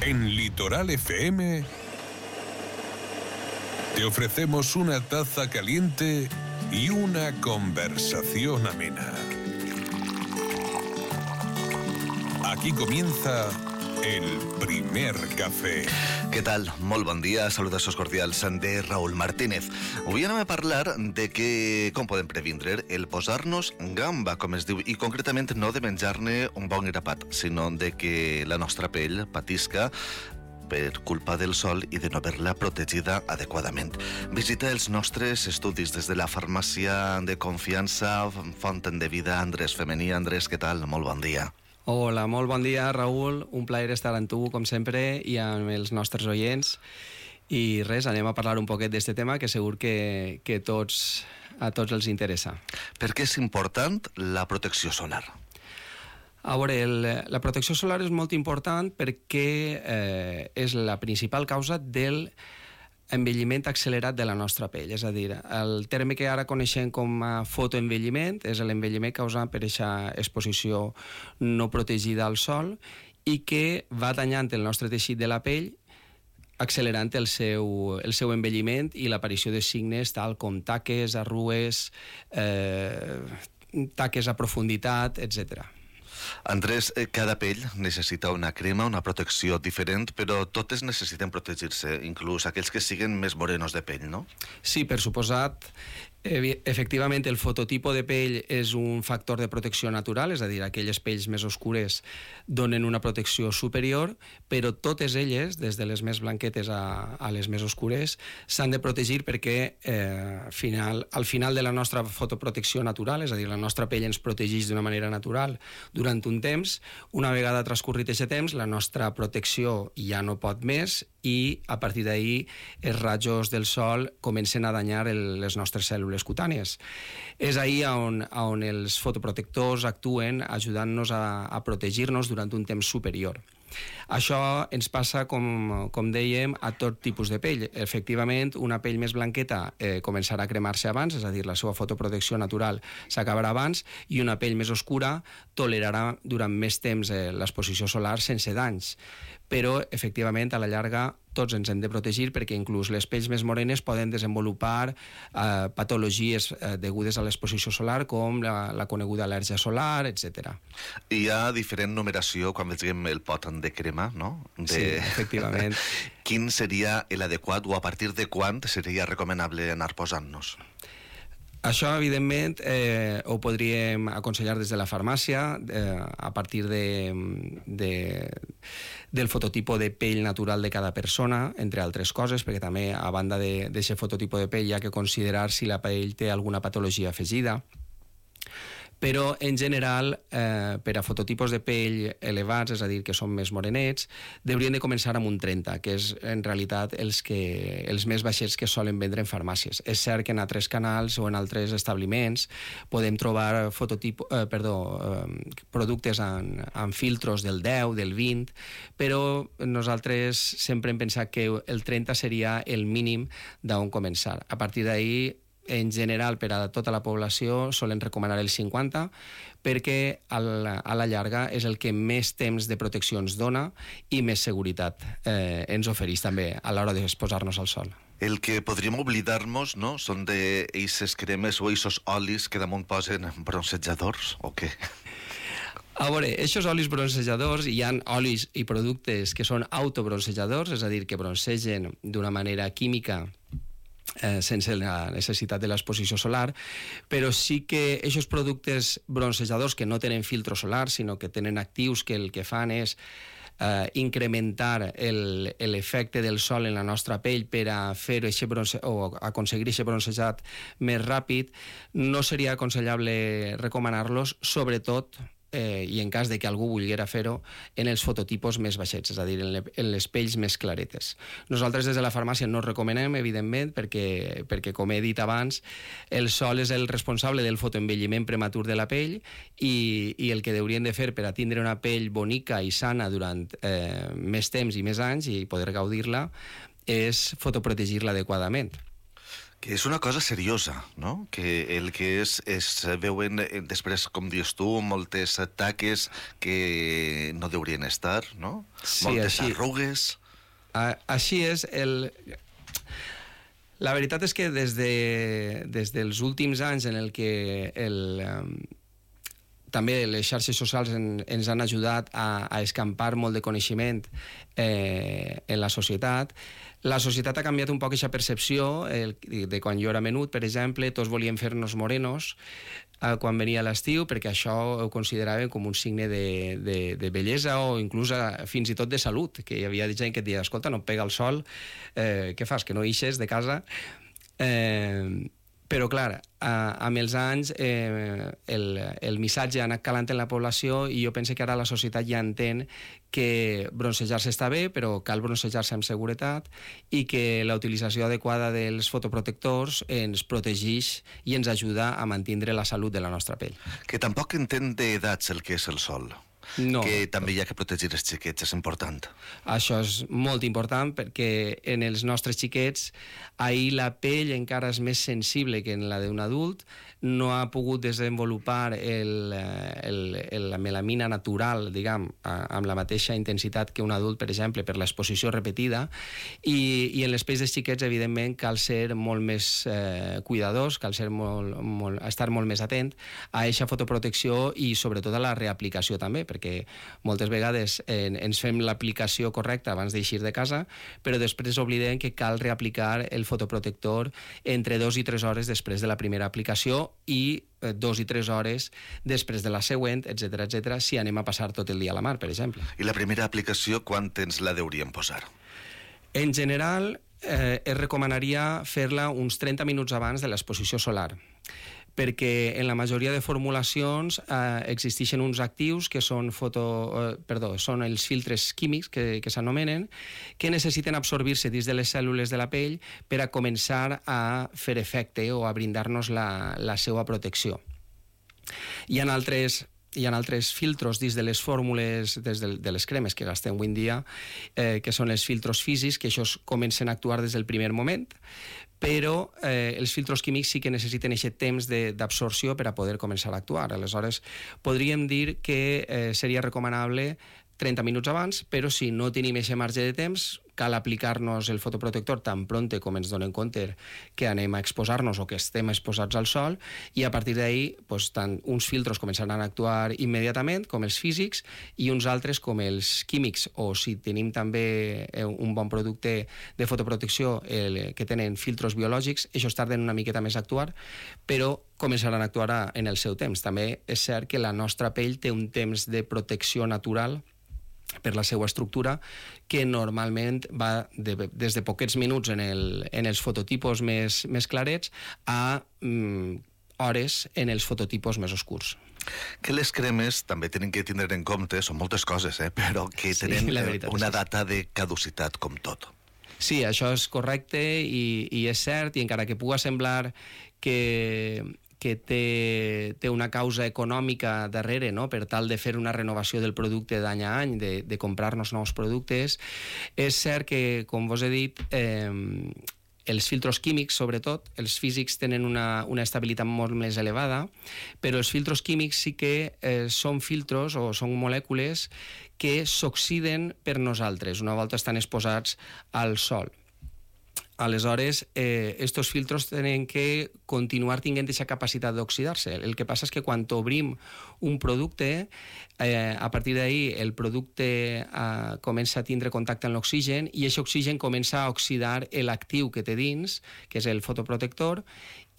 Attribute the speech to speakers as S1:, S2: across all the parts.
S1: En Litoral FM te ofrecemos una taza caliente y una conversación amena. Aquí comienza el primer cafè.
S2: Què tal? Molt bon dia, salutacions cordials de Raúl Martínez. Avui anem a parlar de com podem previndre el posar-nos gamba, com es diu, i concretament no de menjar-ne un bon grapat, sinó de que la nostra pell patisca per culpa del sol i de no haver-la protegida adequadament. Visita els nostres estudis des de la farmàcia de confiança Font de Vida Andrés Femení. Andrés, què tal? Molt bon dia.
S3: Hola, molt bon dia, Raúl. Un plaer estar amb tu, com sempre, i amb els nostres oients. I res, anem a parlar un poquet d'aquest tema que segur que a tots els interessa.
S2: Per què és important la protecció solar?
S3: A veure, la protecció solar és molt important perquè és la principal causa del envelliment accelerat de la nostra pell. És a dir, el terme que ara coneixem com a fotoenvelliment és l'envelliment causat per aquesta exposició no protegida al sol i que va danyant el nostre teixit de la pell, accelerant el seu envelliment i l'aparició de signes tal com taques, arrugues, taques a profunditat, etc.
S2: Andrés, cada pell necessita una crema, una protecció diferent, però totes necessiten protegir-se, inclús aquells que siguen més morenos de pell, no?
S3: Sí, per suposat. Efectivament, el fototipo de pell és un factor de protecció natural, és a dir, aquelles pells més oscures donen una protecció superior, però totes elles, des de les més blanquetes a les més oscures, s'han de protegir perquè al final de la nostra fotoprotecció natural, és a dir, la nostra pell ens protegeix d'una manera natural durant un temps. Una vegada transcorrit aquest temps, la nostra protecció ja no pot més i a partir d'ahir els rajos del sol comencen a danyar les nostres cèl·lules cutànies. És ahir on els fotoprotectors actuen ajudant-nos a protegir-nos durant un temps superior. Això ens passa, com dèiem, a tot tipus de pell. Efectivament, una pell més blanqueta començarà a cremar-se abans, és a dir, la seva fotoprotecció natural s'acabarà abans, i una pell més oscura tolerarà durant més temps l'exposició solar sense danys. Però, efectivament, a la llarga, tots ens hem de protegir perquè inclús les pells més morenes poden desenvolupar patologies degudes a l'exposició solar, com la coneguda al·lèrgia solar, etc.
S2: Hi ha diferent numeració quan vegem el pot de crema, no?
S3: Sí, efectivament.
S2: Quin seria l'adequat o a partir de quan seria recomanable anar posant-nos?
S3: Això, evidentment, ho podríem aconsellar des de la farmàcia a partir del fototipo de pell natural de cada persona, entre altres coses, perquè també, a banda d'aquest fototipo de pell, hi ha que considerar si la pell té alguna patologia afegida. Però, en general, per a fototipos de pell elevats, és a dir, que són més morenets, haurien de començar amb un 30, que és, en realitat, els més baixets que solen vendre en farmàcies. És cert que en altres canals o en altres establiments podem trobar productes amb filtros del 10, del 20, però nosaltres sempre hem pensat que el 30 seria el mínim d'on començar. A partir d'ahir, en general, per a tota la població, solen recomanar el 50, perquè a la llarga és el que més temps de protecció ens dona i més seguretat ens ofereix també a l'hora d'exposar-nos al sol.
S2: El que podríem oblidar-nos, no?, són d'eixes cremes o eixos olis que damunt posen bronzejadors, o què?
S3: A veure, aquests olis bronzejadors, hi ha olis i productes que són autobronzejadors, és a dir, que broncegen d'una manera química sense la necessitat de l'exposició solar, però sí que aquests productes bronzejadors que no tenen filtro solar, sinó que tenen actius que el que fan és incrementar l'efecte del sol en la nostra pell per a fer o aconseguir aquest bronzejat més ràpid, no seria aconsellable recomanar-los, sobretot i en cas de que algú volguera fer-ho, en els fototipos més baixets, és a dir, en les pells més claretes. Nosaltres des de la farmàcia no recomanem, evidentment, perquè com he dit abans, el sol és el responsable del fotoenvelliment prematur de la pell i el que haurien de fer per a tindre una pell bonica i sana durant més temps i més anys i poder gaudir-la és fotoprotegir-la adequadament.
S2: Que és una cosa seriosa, no? Que el que es veuen després, com dius tu, moltes taques que no deurien estar, no?
S3: Sí,
S2: moltes
S3: així.
S2: arrugues.
S3: Així és. La veritat és que des dels últims anys en el que també les xarxes socials ens han ajudat a escampar molt de coneixement en la societat ha canviat un poc aquesta percepció de quan jo era menut, per exemple, tots volien fer-nos morenos quan venia l'estiu, perquè això ho consideraven com un signe de bellesa o inclús fins i tot de salut, que hi havia gent que et deia, escolta, no et pega el sol, què fas, que no ixes de casa? Però, clar, amb els anys el missatge ha anat calant en la població i jo penso que ara la societat ja entén que broncejar-se està bé, però cal broncejar-se amb seguretat i que la utilització adequada dels fotoprotectors ens protegeix i ens ajuda a mantenir la salut de la nostra pell.
S2: Que tampoc entén d'edats el que és el sol.
S3: No.
S2: Que també hi ha que protegir els xiquets, és important.
S3: Això és molt important perquè en els nostres xiquets ahir la pell encara és més sensible que en la d'un adult, no ha pogut desenvolupar la melamina natural, diguem, amb la mateixa intensitat que un adult, per exemple, per l'exposició repetida, i en les pells dels xiquets, evidentment, cal ser molt més cuidadors, cal ser estar molt més atent a aquesta fotoprotecció i sobretot a la reaplicació també, perquè moltes vegades ens fem l'aplicació correcta abans d'eixir de casa, però després oblidem que cal reaplicar el fotoprotector entre 2 i 3 hores després de la primera aplicació i 2 i 3 hores després de la següent, etc., si anem a passar tot el dia a la mar, per exemple.
S2: I la primera aplicació, quan temps la deuríem posar?
S3: En general, es recomanaria fer-la uns 30 minuts abans de l'exposició solar, perquè en la majoria de formulacions existeixen uns actius que són són els filtres químics que s'anomenen, que necessiten absorbir-se dins de les cèl·lules de la pell per a començar a fer efecte o a brindar-nos la seva protecció. Hi ha altres filtros dins de les fórmules, de les cremes que gastem avui en dia, que són els filtros físics, que això comencen a actuar des del primer moment, però els filtros químics sí que necessiten aquest temps d'absorció per a poder començar a actuar. Aleshores, podríem dir que seria recomanable 30 minuts abans, però si no tenim aquest marge de temps, cal aplicar-nos el fotoprotector tan pronte com ens donem compte que anem a exposar-nos o que estem exposats al sol, i a partir d'ahir tant uns filtros començaran a actuar immediatament, com els físics, i uns altres, com els químics, o si tenim també un bon producte de fotoprotecció que tenen filtros biològics, això tarden una miqueta més a actuar, però començaran a actuar en el seu temps. També és cert que la nostra pell té un temps de protecció natural per la seva estructura, que normalment va des de poquets minuts en els fototipos més clarets a hores en els fototipos més oscurs.
S2: Que les cremes també tenen que tindre en compte, són moltes coses, però que tenen una data de caducitat, com tot.
S3: Sí, això és correcte i és cert, i encara que pugui semblar que té una causa econòmica darrere, no?, per tal de fer una renovació del producte d'any a any, de comprar-nos nous productes. És cert que, com vos he dit, els filtros químics, sobretot, els físics tenen una estabilitat molt més elevada, però els filtros químics sí que són filtros o són molècules que s'oxiden per nosaltres, una volta estan exposats al sol. Aleshores, estos filtros tenen que continuar tinguent aquesta capacitat d'oxidar-se. El que passa és que quan obrim un producte, a partir d'ahir el producte comença a tindre contacte amb l'oxigen i aquest oxigen comença a oxidar l'actiu que té dins, que és el fotoprotector,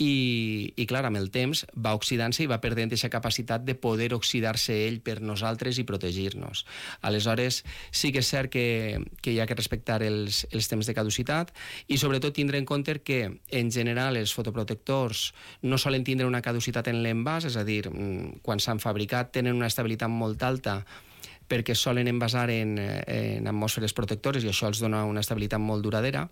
S3: i clar, amb el temps va oxidant-se i va perdent aquesta capacitat de poder oxidar-se ell per nosaltres i protegir-nos. Aleshores, sí que és cert que hi ha que respectar els temps de caducitat i sobretot tindre en compte que, en general, els fotoprotectors no solen tindre una caducitat en l'envàs, és a dir, quan s'han fabricat tenen una estabilitat molt alta perquè solen envasar en atmosferes protectores i això els dona una estabilitat molt duradera,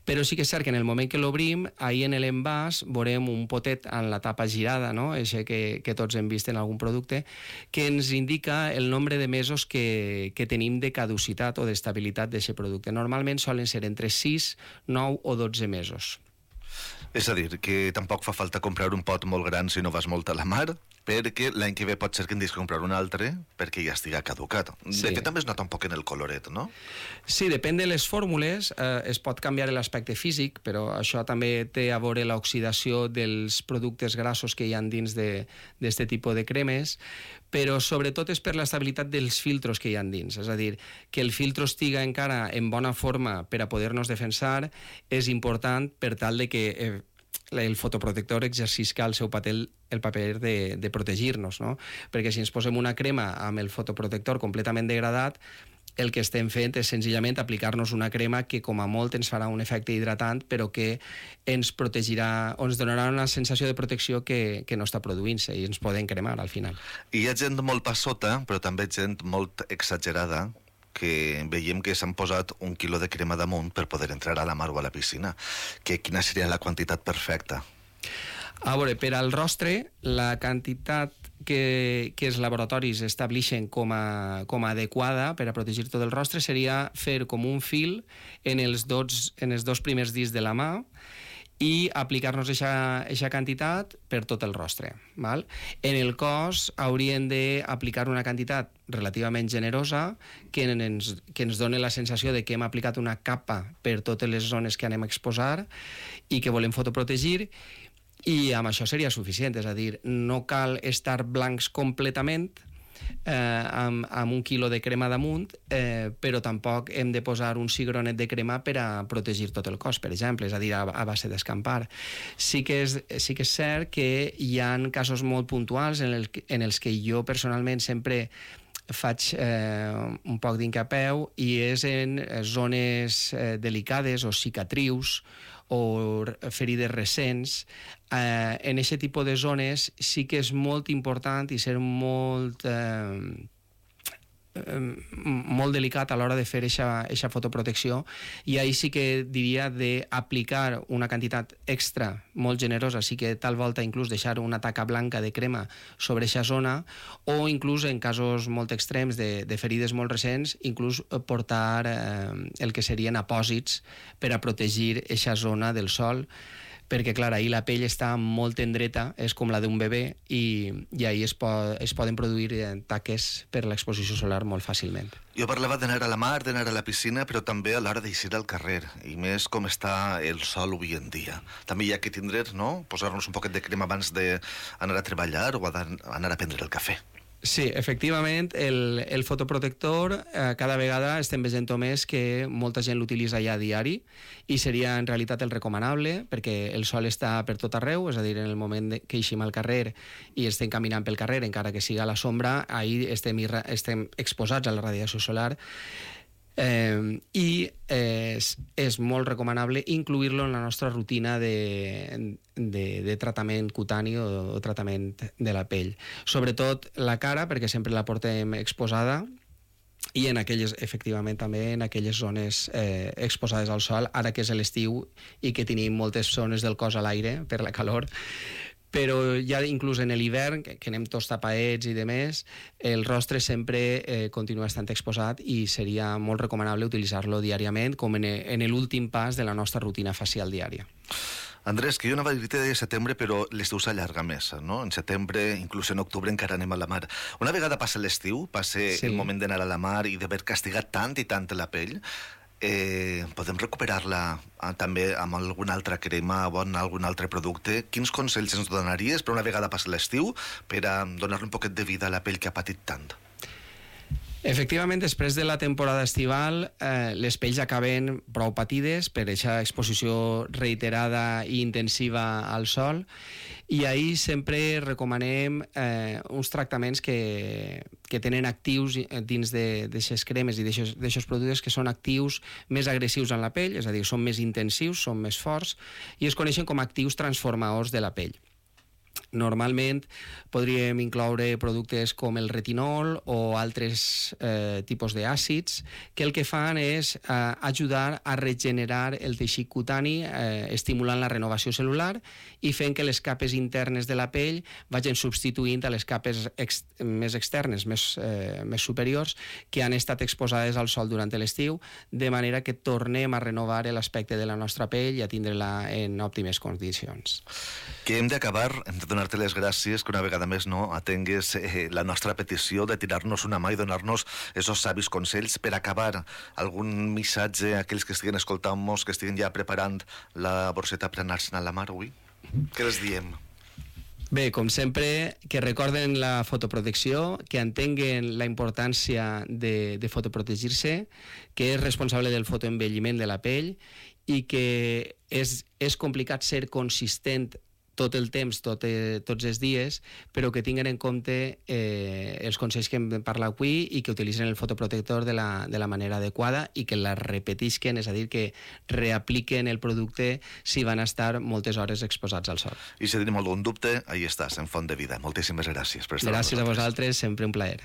S3: però sí que és cert que en el moment que l'obrim, ahir en l'envàs veurem un potet en la tapa girada, no?, això que tots hem vist en algun producte, que ens indica el nombre de mesos que tenim de caducitat o d'estabilitat d'aquest producte. Normalment solen ser entre 6, 9 o 12 mesos.
S2: És a dir, que tampoc fa falta comprar un pot molt gran si no vas molt a la mar, perquè l'any que ve pot ser que en deixi comprar un altre perquè ja estiga caducat.
S3: Sí.
S2: De fet, també es nota un poc en el coloret, no?
S3: Sí, depèn de les fórmules, es pot canviar l'aspecte físic, però això també té a veure l'oxidació dels productes grassos que hi ha dins d'aquest tipus de cremes, però sobretot és per l'estabilitat dels filtros que hi ha dins. És a dir, que el filtro estiga encara en bona forma per a poder-nos defensar és important per tal de que el fotoprotector exercisca el seu paper, el paper de protegir-nos, no? Perquè si ens posem una crema amb el fotoprotector completament degradat, el que estem fent és senzillament aplicar-nos una crema que com a molt ens farà un efecte hidratant, però que ens protegirà o ens donarà una sensació de protecció que no està produint-se i ens poden cremar al final.
S2: I hi ha gent molt passota, però també gent molt exagerada, que veiem que s'han posat 1 quilo de crema damunt per poder entrar a la mar o a la piscina. Quina seria la quantitat perfecta?
S3: A veure, per al rostre, la quantitat que els laboratoris estableixen com a adequada per a protegir tot el rostre seria fer com un fil en els dos primers dits de la mà i aplicar-nos aquesta quantitat per tot el rostre. Val? En el cos hauríem d'aplicar una quantitat relativament generosa que ens doni la sensació de que hem aplicat una capa per totes les zones que anem a exposar i que volem fotoprotegir, i amb això seria suficient. És a dir, no cal estar blancs completament amb 1 quilo de crema damunt, però tampoc hem de posar un cigronet de crema per a protegir tot el cos, per exemple, és a dir, a base d'escampar. Sí que és cert que hi ha casos molt puntuals en els que jo personalment sempre faig un poc d'incapeu, i és en zones delicades o cicatrius o ferides recents. En aquest tipus de zones sí que és molt important i ser molt delicat a l'hora de fer aquesta fotoprotecció, i ahir sí que diria d'aplicar una quantitat extra molt generosa, sí que tal volta inclús deixar una taca blanca de crema sobre aquesta zona, o inclús en casos molt extrems de ferides molt recents, inclús portar el que serien apòsits per a protegir aquesta zona del sol, perquè, clar, ahir la pell està molt tendreta, és com la d'un bebè, i ahir es poden produir taques per l'exposició solar molt fàcilment.
S2: Jo parlava d'anar a la mar, d'anar a la piscina, però també a l'hora d'eixir al carrer, i més com està el sol avui en dia. També hi ha que tindre, no?, posar-nos un poquet de crema abans d'anar a treballar o anar a prendre el cafè.
S3: Sí, efectivament, el fotoprotector cada vegada estem veient més que molta gent l'utilitza ja a diari, i seria en realitat el recomanable, perquè el sol està per tot arreu, és a dir, en el moment que eixim al carrer i estem caminant pel carrer, encara que siga a la sombra, ahir estem exposats a la radiació solar, i és molt recomanable incluir-lo en la nostra rutina de tractament cutani o tractament de la pell. Sobretot la cara, perquè sempre la portem exposada, i efectivament també en aquelles zones exposades al sol, ara que és l'estiu i que tenim moltes zones del cos a l'aire per la calor. Però ja inclús en l'hivern, que anem tots tapaets i demés, el rostre sempre continua estant exposat, i seria molt recomanable utilitzar-lo diàriament com en l'últim pas de la nostra rutina facial diària.
S2: Andrés, que jo anava a dir-te de setembre, però l'estiu s'allarga més, no? En setembre, inclús en octubre, encara anem a la mar. Una vegada passa l'estiu, passa el moment d'anar a la mar i d'haver castigat tant i tant la pell, podem recuperar-la també amb alguna altra crema o amb algun altre producte? Quins consells ens donaries per una vegada passa l'estiu per a donar-li un poquet de vida a la pell que ha patit tant?
S3: Efectivament, després de la temporada estival, les pells acaben prou patides per aquesta exposició reiterada i intensiva al sol, i ahir sempre recomanem uns tractaments que tenen actius dins d'aquestes cremes i d'aquests productes que són actius més agressius en la pell, és a dir, són més intensius, són més forts, i es coneixen com a actius transformadors de la pell. Normalment podríem incloure productes com el retinol o altres tipus d'àcids que el que fan és ajudar a regenerar el teixit cutani, estimulant la renovació celular i fent que les capes internes de la pell vagin substituint a les capes més externes, més superiors, que han estat exposades al sol durant l'estiu, de manera que tornem a renovar l'aspecte de la nostra pell i a tindre-la en òptimes condicions.
S2: Que hem d'acabar, hem de donar-te les gràcies que una vegada més atengues la nostra petició de tirar-nos una mà i donar-nos esos savis consells. Per acabar, algun missatge a aquells que estiguen escoltant-nos, que estiguen ja preparant la borseta per anar-se'n a la mar avui? Què els diem?
S3: Bé, com sempre, que recorden la fotoprotecció, que entenguen la importància de fotoprotegir-se, que és responsable del fotoenvelliment de la pell i que és complicat ser consistent tot el temps, tots els dies, però que tinguen en compte els consells que hem parlat avui i que utilitzen el fotoprotector de la manera adequada i que la repetisquen, és a dir, que reapliquen el producte si van estar moltes hores exposats al sol.
S2: I si tenim algun dubte, ahí estàs, en Font de Vida. Moltíssimes gràcies per estar amb nosaltres.
S3: Gràcies a vosaltres, sempre un plaer.